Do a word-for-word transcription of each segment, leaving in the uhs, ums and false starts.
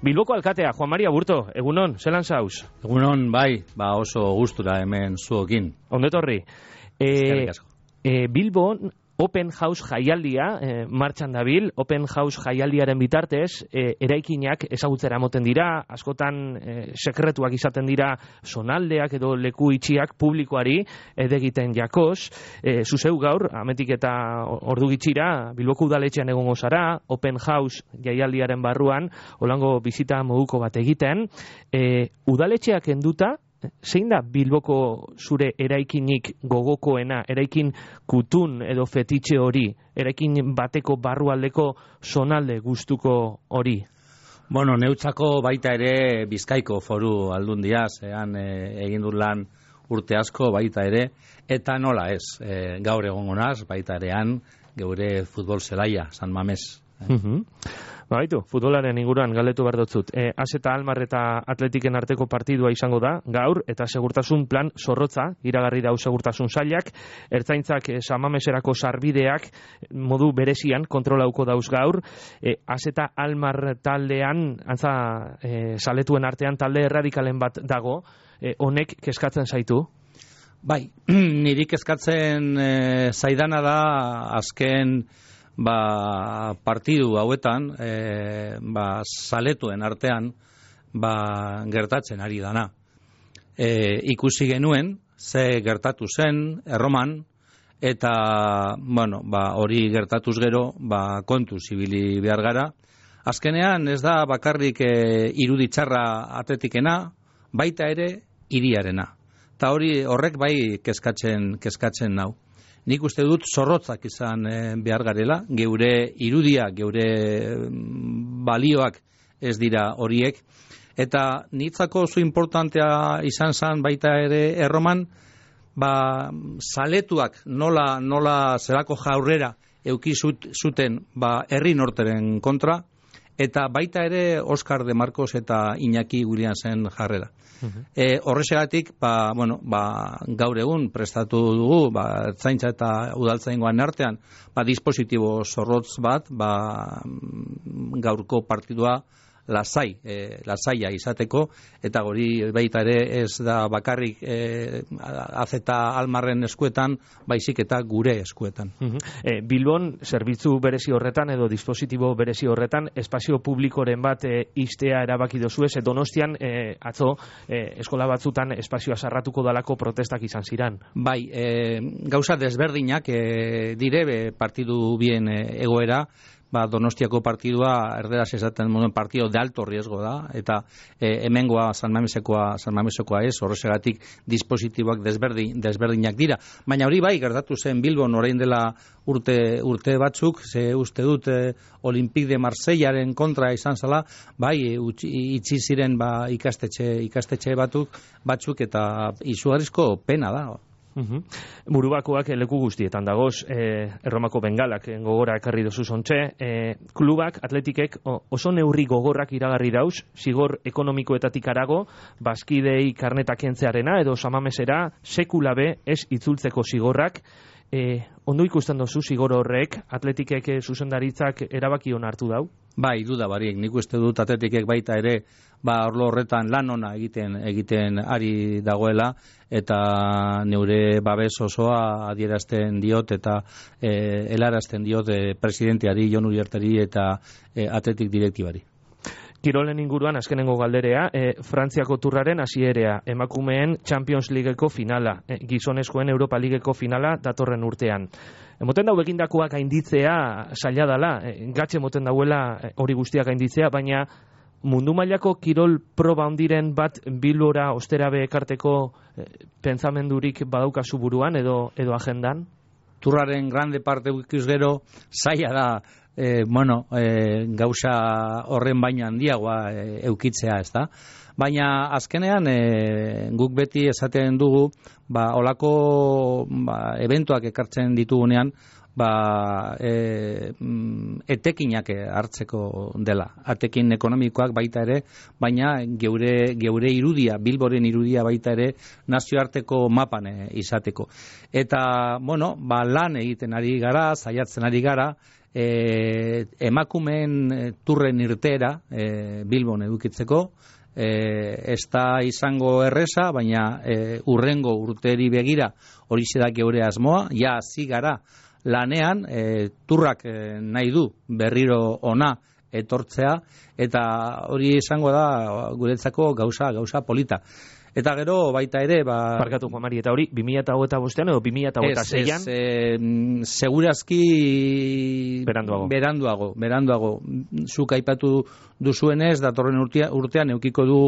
Bilboko alkatea, Juan Maria Burto, egunon, zelan zauz? Egunon, bai, ba oso gustura hemen zuokin. Ondetorri. E, e, Bilbon Open House jaialdia e, martxan dabil, Open House jaialdiaren bitartez, e, eraikinak ezagutzera moten dira, askotan e, sekretuak izaten dira zonaldeak edo leku itxiak publikoari edegiten jakoz. E, zuzeu gaur, ametik eta ordu gitxira, Bilboko udaletxean egongo zara, Open House jaialdiaren barruan, holango bizita moduko bat egiten. E, udaletxeak enduta, zein da Bilboko zure eraikinik gogokoena, eraikin kutun edo fetitxe hori, eraikin bateko barrualdeko zonalde gustuko hori? Bueno, neutzako baita ere Bizkaiko Foru Aldundia, zean e, egin dut lan urte asko baita ere, eta nola ez, e, gaur egongo naz, baita erean, geure futbol zelaia, San Mames. Uh -huh. Baitu, futbolaren inguruan galdetu behar dotzut. E, Az eta Almar eta Atletiken arteko partidua izango da, gaur, eta segurtasun plan zorrotza, iragarri dau segurtasun sailak, ertzaintzak e, Samameserako sarbideak modu berezian kontrolauko dauz gaur. E, Az eta Almar taldean, antza e, saletuen artean talde erradikalen bat dago, e, honek kezkatzen zaitu? Bai, niri kezkatzen e, zaidana da azken ba, partidu hauetan e, ba, saletuen artean ba, gertatzen ari dana. E, ikusi genuen ze gertatu zen Erroman, eta bueno, ba, hori gertatuz gero ba, kontuz ibili behar gara. Azkenean ez da bakarrik e, iruditxarra atletikena, baita ere hiriarena. Eta hori horrek bai kezkatzen, kezkatzen nau. Nik uste dut zorrotzak izan e, behar garela, geure irudia, geure balioak ez dira horiek, eta nitzako oso importantea izan zen baita ere Erroman, ba, saletuak nola, nola zelako jaurrera euki zuten ba, herri norteren kontra, eta baita ere Oscar de Marcos eta Iñaki Williamsen jarrera. Uh-huh. E, horrexegatik, ba, bueno, ba, gaur egun prestatu dugu, ba, zaintza eta udaltzaingoan artean, ba, dispositibo zorrotz bat, ba, gaurko partidua lasai, e, lasaia izateko, eta hori baita ere ez da bakarrik e, Az eta Almarren eskuetan, baizik eta gure eskuetan. Uh-huh. e, Bilbon, zerbitzu berezi horretan edo dispositibo berezi horretan, espazio publikoren bat e, iztea erabaki dozu ez, Donostian e, atzo e, eskola batzutan espazioa sarratuko dalako protestak izan ziran. Bai, e, gauza desberdinak e, dire be, partidu bien e, egoera, ba, Donostiako partidua erderaz esaten moden partido de alto riesgo da, eta e, hemengoa San Mamesekoa, San Mamesekoa ez, horrexegatik dispositiboak desberdin, desberdinak dira. Baina hori bai, gertatu zen Bilbon orain dela urte, urte batzuk, ze uste dut e, Olympique de Marseillaren kontra izan zala, bai, itxi ziren ba, ikastetxe, ikastetxe batzuk, batzuk eta izugarrizko pena da. Uhum. Burubakoak leku guztietan dagoz, e, Erromako bengalak gogora ekarri dozu zontxe, e, klubak, atletikek oso neurri gogorrak iragarri dauz, zigor ekonomikoetatik arago, bazkidei karnetak kentzearena edo Samamesera sekulabe ez itzultzeko zigorrak. E, ondo ikusten dozu zigor horrek, atletikek zuzendaritzak erabaki hona hartu dau? Bai, duda barik, nik uste dut atletikek baita ere, ba, orlo horretan lan ona egiten egiten ari dagoela, eta neure babes osoa adierazten diot eta e, helarazten diot e, presidenteari, Jon Uriarteri eta e, atletik direktibari. Kirolen inguruan azkenengo galderea, e, Frantziako turraren hasierea, emakumeen Champions Leagueko finala, e, gizonezkoen Europa Leagueko finala datorren urtean. Emoten dau egindakoak gainditzea zaila dela, e, gatxe emoten dauela e, hori guztiak gainditzea, baina mundu mailako kirol proba ondiren bat Bilbora osterabe ekarteko e, pentsamendurik badaukazu buruan edo edo agendan? Turraren grande parte ikus gero zaila da e, bueno, e, gauza horren baino handiagoa e, eukitzea, ez da? Baina azkenean e, guk beti esaten dugu, ba, olako ba, eventuak ekartzen ditugunean, ba, e, etekinak hartzeko dela. Atekin ekonomikoak baita ere, baina geure, geure irudia, Bilboren irudia baita ere, nazioarteko mapan e, izateko. Eta, bueno, ba, lan egiten ari gara, saiatzen ari gara, e, emakumeen turren irteera e, Bilbon edukitzeko, e, ez da izango erresa, baina e, urrengo urteri begira hori da geure asmoa, ja hasi gara lanean, e, turrak e, nahi du berriro ona etortzea, eta hori izango da guretzako gauza, gauza polita. Eta gero baita ere, ba... Barkatu, Juan Mari, eta hori, bi mila hogeita bostean edo bi mila hogeita seian? Ez, ez, e, segurazki... Beranduago. Beranduago, beranduago. Zuk aipatu duzuenez, datorren urtean, urtean eukiko du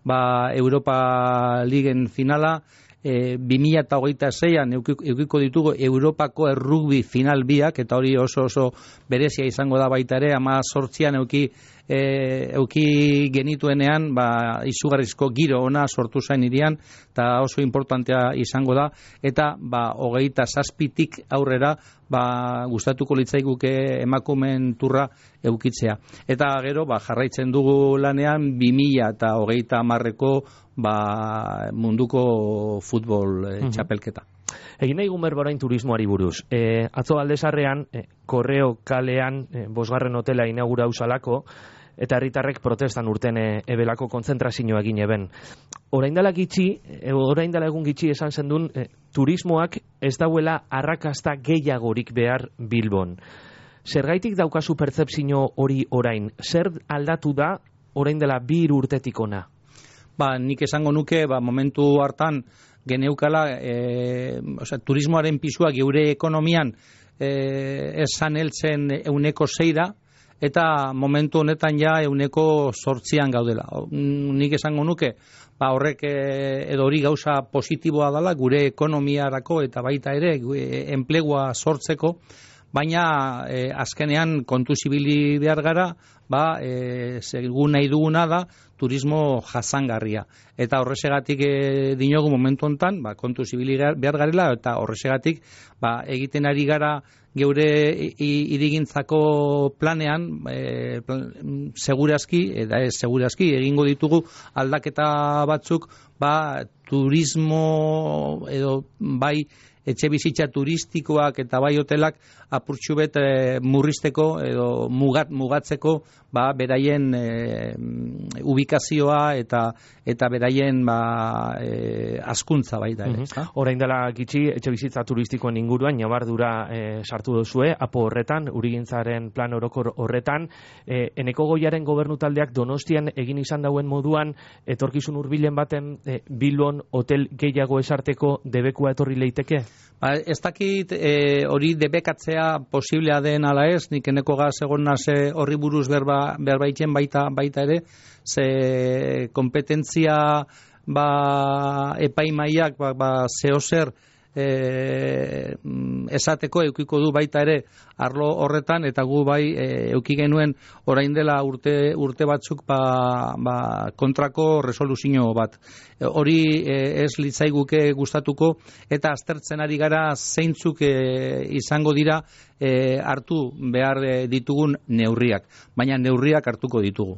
ba, Europa Ligen finala, e, bi mila hogeita seian eukiko ditugu Europako errugbi final biak, eta hori oso oso berezia izango da baita ere, ama sortzian euki E, euki genituenean ba, izugarrizko giro ona sortu zain irian, eta oso importantea izango da, eta ba, hogeita zazpitik aurrera ba, gustatuko litzaiguke emakumen turra eukitzea. Eta gero ba, jarraitzen dugu lanean bi mila eta hogeita hamarreko ba, munduko futbol e, txapelketa. Egin nahi gumer borain turismoari buruz. E, atzo aldezarrean, e, Korreo kalean, e, bosgarren hotela inaugura usalako, eta herritarrek protestan urten e, ebelako kontzentrazioa egin eben. Orain dela gitxi, e, orain dela egun gitxi esan zendun, e, turismoak ez dauela arrakasta gehiagorik behar Bilbon. Zergaitik daukazu pertzepzio hori orain? Zer aldatu da orain dela bi urtetik ona? Ba, nik esango nuke, ba, momentu hartan geneukala, e, osea, turismoaren pisua geure ekonomian e, esan heltzen euneko zeira, eta momentu honetan ja euneko sortzian gaudela. Nik esango nuke, ba horrek edo hori gauza positiboa dela gure ekonomiarako eta baita ere enplegua sortzeko, baina e, azkenean kontuz ibili behar gara, ba, e, segun nahi duguna da turismo jasangarria. Eta horrezegatik e, dinogu momentu honetan, ba, kontuz ibili behar garela, eta horrezegatik ba, egiten ari gara geure irigintzako planean e, plan, segurazki, eta ez segurazki, egingo ditugu aldaketa batzuk, ba, turismo edo bai etxe bizitza turistikoak eta bai hotelak apurtxu bet e, murrizteko edo mugat, mugatzeko ba, beraien e, ubikazioa eta eta beraien ba, e, askuntza baita ere. Mm-hmm. Orain dela gitxi etxe bizitza turistikoen inguruan nabardura e, sartu duzue, apo horretan, urigintzaren plan orokor horretan, e, Eneko Goiaren gobernu taldeak Donostian egin izan dauen moduan, etorkizun hurbilen baten e, Bilbon hotel gehiago esarteko debekua etorri leiteke? Ba, ez dakit e, hori debekatzea posiblea den ala ez, nik Eneko Gaz egon naze horri buruz berba, berbaitzen baita, baita ere, ze kompetentzia ba, epaimaiak ba, ba, zehozer e, esateko eukiko du baita ere arlo horretan, eta gu bai e, euki genuen orain dela urte, urte batzuk ba, ba, kontrako resoluzio bat. E, hori e, ez litzaiguke gustatuko, eta aztertzen ari gara zeintzuk e, izango dira e, hartu behar ditugun neurriak, baina neurriak hartuko ditugu.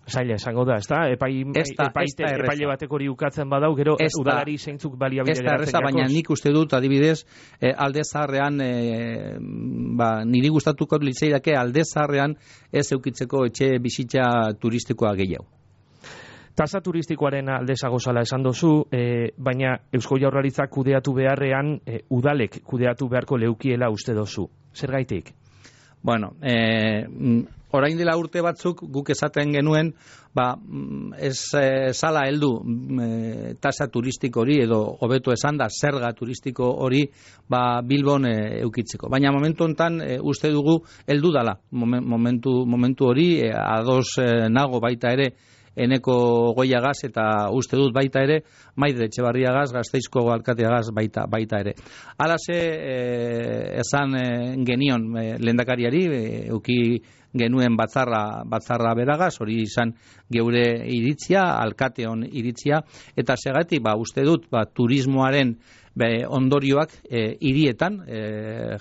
Zaila esango da, ezta? Epai, esta, epaite, esta epaile bateko hori ukatzen badau, gero esta, udalari zeintzuk baliabide geratzen jakoz. Baina nik uste dut, adibidez, eh, alde zaharrean, eh, ba, niri gustatuko litzaidake alde zaharrean ez eukitzeko etxe bizitza turistikoa gehiago. Tasa turistikoaren alde zagozala esan dozu, eh, baina Eusko Jaurlaritzak kudeatu beharrean, eh, udalek kudeatu beharko leukiela uste dozu. Zergaitik? Bueno, eh, orain dela urte batzuk guk esaten genuen, ba, ez e, sala heldu e, tasa turistiko hori edo hobeto esan da zerga turistiko hori ba, Bilbon e, eukitzeko. Baina momentu hontan e, uste dugu heldu dala momentu, momentu hori e, ados e, nago baita ere Eneko Goiagaz eta uste dut baita ere Maider Etxebarriagaz, Gasteizko alkateagaz baita, baita ere. Halase e, esan e, genion e, lehendakariari e, euki genuen batzarra, batzarra beragaz, hori izan geure iritzia, alkateon iritzia, eta segatik, ba, uste dut, ba, turismoaren be, ondorioak e, hirietan e,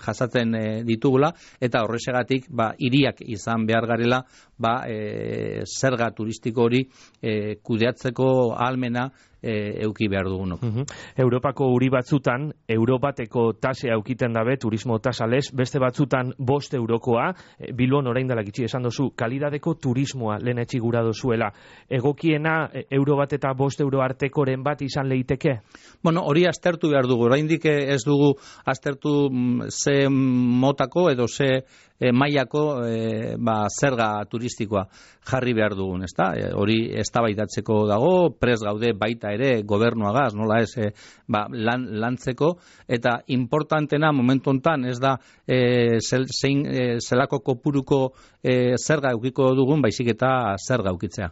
jasaten e, ditugula, eta horrexegatik ba, hiriak izan behar garela ba, e, zerga turistiko hori e, kudeatzeko ahalmena E, euki behar dugunok. Uh-huh. Europako uri batzutan, Europateko tasea eukiten dabe, turismo tasales, beste batzutan bost eurokoa, e, Bilbon orain dela gitxi esan dozu, kalidadeko turismoa lehen etxigura dozuela. Egokiena, e, euro bat eta bost euro artekoren bat izan leiteke? Bueno, hori aztertu behar dugu, oraindik ez dugu aztertu ze motako edo ze E, mailako e, ba, zerga turistikoa jarri behar dugun, ezta? E, hori eztabaidatzeko dago, pres gaude baita ere gobernuagaz, nola ez, e, ba, lan, lantzeko, eta importantena momentu hontan ez da e, zel, zein, e, zelako kopuruko e, zerga eukiko dugun, baizik eta zerga eukitzea.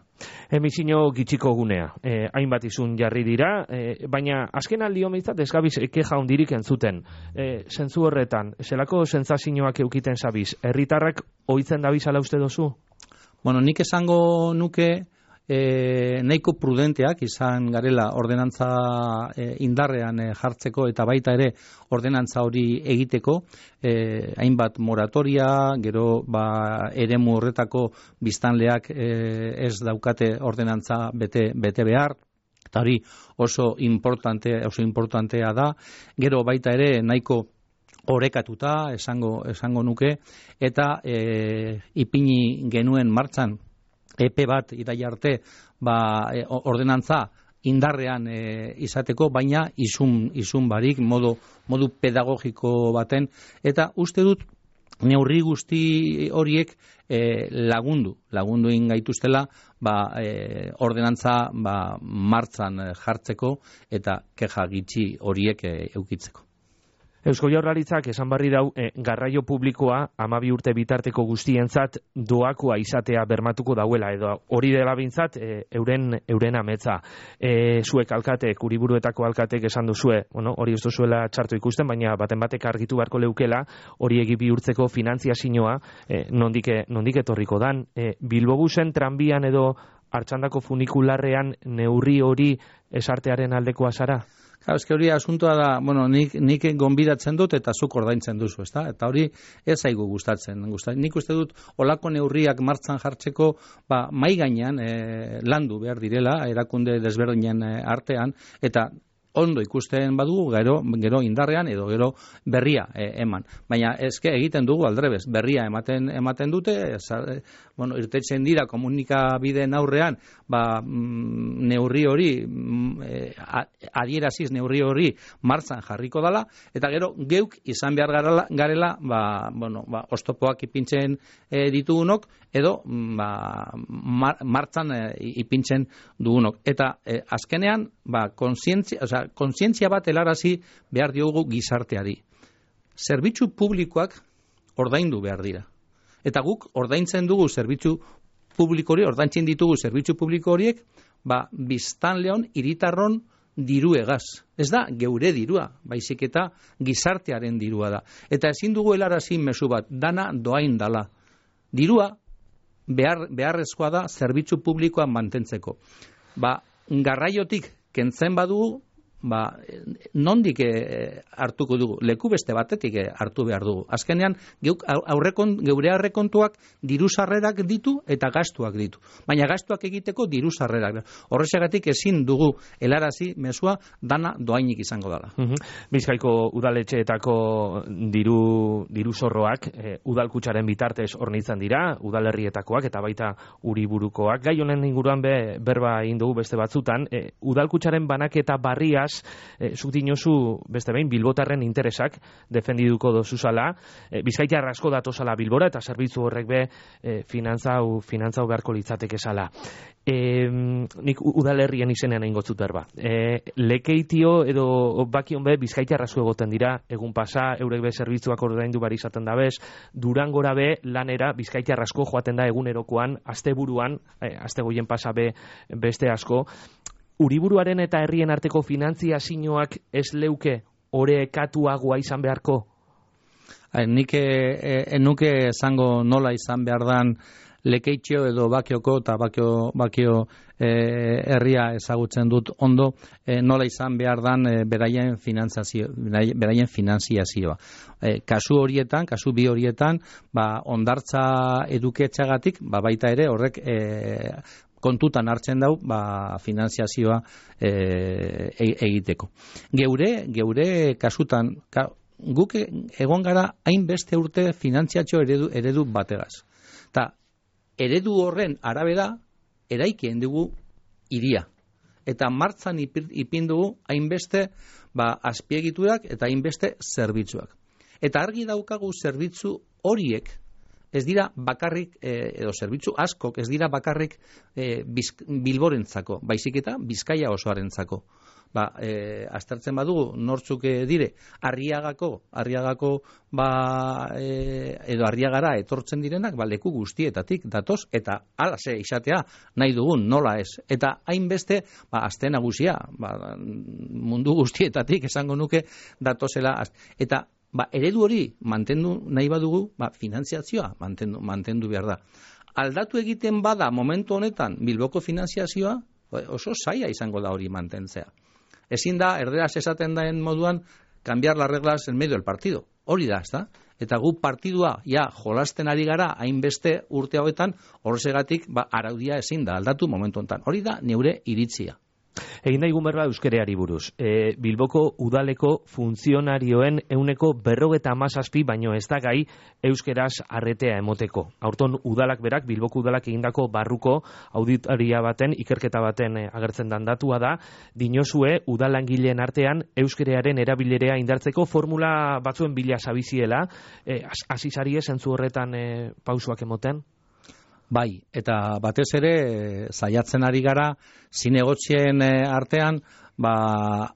Emisio gitxiko gunea, e, hainbat izun jarri dira, e, baina azken aldi homitzat ez gabiz keja hondirik entzuten. E, zentzu horretan, zelako sentsazioak eukiten zabiz? Herritarrak ohitzen dabizala uste dozu? Bueno, nik esango nuke e, nahiko prudenteak izan garela ordenantza e, indarrean e, jartzeko eta baita ere ordenantza hori egiteko, e, hainbat moratoria, gero ba, eremu horretako biztanleak e, ez daukate ordenantza bete, bete behar, eta hori oso importante, oso importantea da, gero baita ere nahiko orekatuta esango esango nuke, eta e, ipini genuen martxan epe bat iraila arte ba, e, ordenantza indarrean e, izateko, baina izun, izun barik modu, modu pedagogiko baten, eta uste dut neurri guzti horiek e, lagundu, lagundu ingaituztela ba, e, ordenantza ba, martxan jartzeko eta keja gitxi horiek e, eukitzeko. Eusko Jaurlaritzak esan barri dau e, garraio publikoa hamabi urte bitarteko guztientzat doakoa izatea bermatuko dauela, edo hori dela bintzat e, euren, euren ametza. E, zuek alkatek, Uriburuetako alkatek esan duzue, bueno, hori ez duzuela txarto ikusten, baina baten batek argitu beharko leukela, hori egi bihurtzeko finanziazioa e, nondik, nondik etorriko dan. E, Bilbobusen tranbian edo Artxandako funikularrean neurri hori esartearen aldekoa zara? Claro, eske hori asuntoa da, bueno, nik, nik gonbidatzen dut eta zuk ordaintzen duzu, ezta? Eta hori ez zaigu gustatzen. Gustatzen. Nik uste dut olako neurriak martxan jartzeko, ba, mai gainean e, landu behar direla, erakunde desberdinen artean, eta ondo ikusten badugu, gero, gero indarrean edo gero berria e, eman. Baina eske egiten dugu aldrebez, berria ematen ematen dute, eza, bueno, irtetzen dira komunikabideen aurrean, ba, mm, neurri hori, mm, e, adieraziz neurri hori martzan jarriko dala, eta gero geuk izan behar garela, garela ba, bueno, ba, oztopoak ipintzen e, ditugunok, edo ba, mar, martzan e, ipintzen dugunok. Eta e, azkenean, ba, konsientzia, oza, kontzientzia bat helarazi behar diogu gizarteari. Zerbitzu publikoak ordaindu behar dira. Eta guk ordaintzen dugu zerbitzu publiko hori, ordaintzen ditugu zerbitzu publiko horiek, ba, biztanleon, hiritarron diru egaz. Ez da geure dirua, baizik eta gizartearen dirua da. Eta ezin dugu helarazi mezu bat, dana doain dala. Dirua behar, beharrezkoa da zerbitzu publikoa mantentzeko. Ba, garraiotik kentzen badugu, ba, nondik e, hartuko dugu, leku beste batetik e, hartu behar dugu. Azkenean, geuk, aurrekon, geure aurrekontuak diru sarrerak ditu eta gastuak ditu. Baina gastuak egiteko diru sarrerak. Horrexegatik ezin dugu helarazi mezua dana doainik izango dela. Uh-huh. Bizkaiko udaletxeetako diru, diru zorroak e, udalkutsaren bitartez hornitzen dira, udalerrietakoak eta baita Uriburukoak. Gai honen inguruan be, berba egin dugu beste batzutan, e, udalkutsaren banaketa barria E, zuk dinozu, beste behin, bilbotarren interesak defendiduko dozuzala, e, Bizkaitar asko datozala Bilbora eta zerbitzu horrek be e, finantzau, finantzau beharko litzateke zala. E, nik udalerrien izenean egin gotzut berba. E, lekeitio edo bakion be Bizkaitar asko egoten dira, egun pasa, eurek be zerbitzuak ordaindu bari izaten da bez, Durangora be lanera Bizkaitar asko joaten da egunerokoan, asteburuan, e, astegoien pasa be beste asko. Uriburuaren eta herrien arteko finanziazioak ez leuke orekatuagoa izan beharko? Nik enuke esango nola izan behar dan Lekeitxo edo Bakioko eta Bakio, Bakio e, herria ezagutzen dut ondo, e, nola izan behar dan e, beraien finanziazio, beraien finanziazioa. E, kasu horietan, kasu bi horietan, ba, ondartza eduketxagatik, ba, baita ere horrek e, kontutan hartzen dau, ba, finanziazioa e, egiteko. Geure, geure kasutan, ka, guk egon gara hainbeste urte finantziatxo eredu, eredu bategaz. Ta, eredu horren arabera, eraikien dugu iria. Eta martzan ipin dugu hainbeste ba, azpiegiturak eta hainbeste zerbitzuak. Eta argi daukagu zerbitzu horiek ez dira bakarrik, eh, edo zerbitzu askok ez dira bakarrik eh, Bilborentzako, baizik eta Bizkaia osoarentzako. Ba, e, aztertzen badugu nortzuk dire Arriagako, Arriagako ba, e, edo Arriagara etortzen direnak, ba, leku guztietatik datoz, eta alase izatea nahi dugun, nola ez. Eta hainbeste, ba, azte nagusia, ba, mundu guztietatik esango nuke datozela. Eta ba, eredu hori mantendu nahi badugu, ba, finantziazioa mantendu, mantendu behar da. Aldatu egiten bada momentu honetan Bilboko finantziazioa, oso zaila izango da hori mantentzea. Ezin da, erderaz esaten daen moduan, cambiar las reglas en medio del partido. Hori da, ez da? Eta gu partidua, ja, jolasten ari gara, hainbeste urte hauetan, horregatik, ba, araudia ezin da, aldatu momentu honetan. Hori da, neure iritzia. Egin daigun berba euskereari buruz. E, Bilboko udaleko funtzionarioen euneko berrogeta amazazpi baino ez da gai euskeraz arretea emoteko. Aurton udalak berak, Bilboko udalak egindako barruko auditoria baten, ikerketa baten e, agertzen dan datua da, dinozue udalangileen artean euskerearen erabilerea indartzeko formula batzuen bila zabiziela, e, azizari zentzu horretan e, pausuak emoten? Bai, eta batez ere saiatzen ari gara zinegotzien artean ba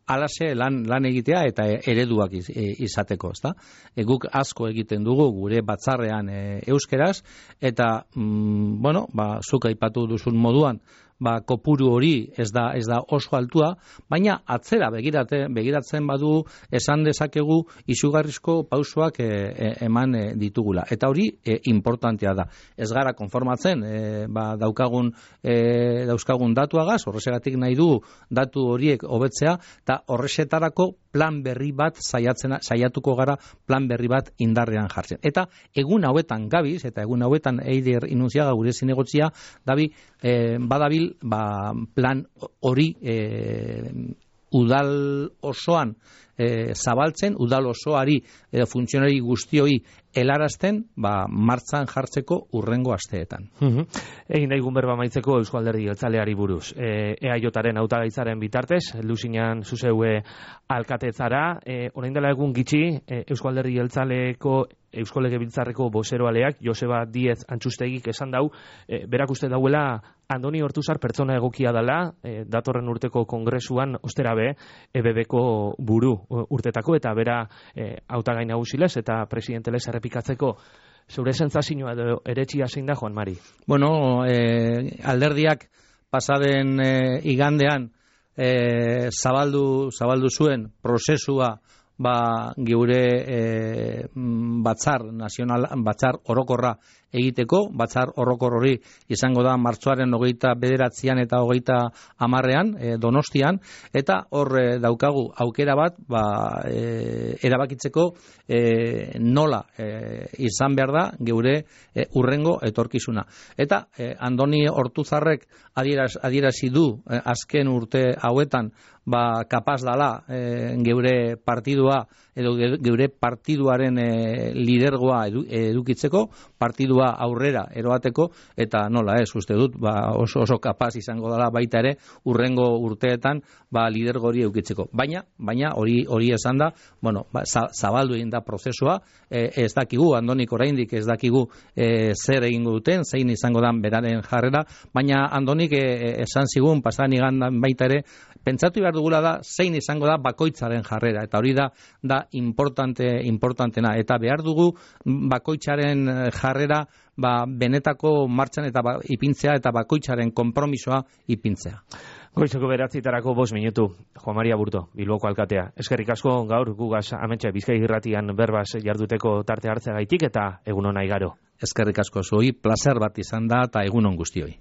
alase lan lan egitea eta ereduak iz, e, izateko, ezta? E, guk asko egiten dugu gure batzarrean e, euskeraz eta mm, bueno, ba zuk aipatu duzun moduan ba, kopuru hori ez da ez da oso altua, baina atzera begirate, begiratzen badu esan dezakegu izugarrizko pausoak e, e, eman e, ditugula. Eta hori e, importantea da. Ez gara konformatzen e, ba, daukagun e, dauzkagun datuagaz, horrezegatik nahi dugu datu horiek hobetzea, eta horrezetarako plan berri bat saiatzen, saiatuko gara plan berri bat indarrean jartzen. Eta egun hauetan gabiz, eta egun hauetan Eider Inunziaga gure zinegotzia, dabi, e, badabil ba, plan hori e, udal osoan e, zabaltzen, udal osoari edo funtzionari guztioi helarazten, ba, martzan jartzeko urrengo asteetan. Uh-huh. Egin daigun berba maitzeko Eusko Alderdi Jeltzaleari buruz. E, E A Jaren hautagaitzaren bitartez, heldu zinean zuzeue alkatetzara, e, orain dela egun gitxi, e, Eusko Alderdi Jeltzaleko Eusko Legebiltzarreko bozeroaleak Joseba Diez Antxustegik esan dau, e, berak uste dauela Andoni Ortuzar pertsona egokia dela, e, datorren urteko kongresuan osterabe E B Bko buru urtetako, eta bera e, hautagai nagusilez eta presidentelez errepikatzeko. Zure sentsazioa edo eretxia zein da, Juan Mari? Bueno, e, alderdiak pasaden e, igandean e, zabaldu, zabaldu zuen prozesua ba geure e, batzar nazional, batzar orokorra egiteko, batzar orokor hori izango da martxoaren hogeita bederatzian eta hogeita hamarrean e, Donostian, eta hor e, daukagu aukera bat ba, e, erabakitzeko e, nola e, izan behar da geure e, urrengo etorkizuna. Eta e, Andoni Ortuzarrek adieraz, adierazi du e, azken urte hauetan ba kapaz dala e, geure partidua edo geure partiduaren e, lidergoa edu, edukitzeko, partidua aurrera eroateko, eta nola ez, uste dut, ba, oso oso kapaz izango dela baita ere urrengo urteetan ba lidergo hori edukitzeko. Baina, baina hori hori esan da, bueno, ba, zabaldu egin da prozesua, e, ez dakigu, Andonik oraindik ez dakigu e, zer egingo duten, zein izango dan beraren jarrera, baina Andonik e, esan zigun, pasan igandan baita ere, pentsatu behar dugula da zein izango da bakoitzaren jarrera, eta hori da da importante importantena, eta behar dugu bakoitzaren jarrera ba, benetako martxan eta ba, ipintzea eta bakoitzaren konpromisoa ipintzea. Goizeko beratzitarako bost minutu, Juan Maria Burto, Bilboko alkatea. Eskerrik asko gaur gugaz ametxe Bizkai Irratian berbaz jarduteko tarte hartzea gaitik eta egun ona igaro. Eskerrik asko zuei, placer bat izan da eta egun on guztioi.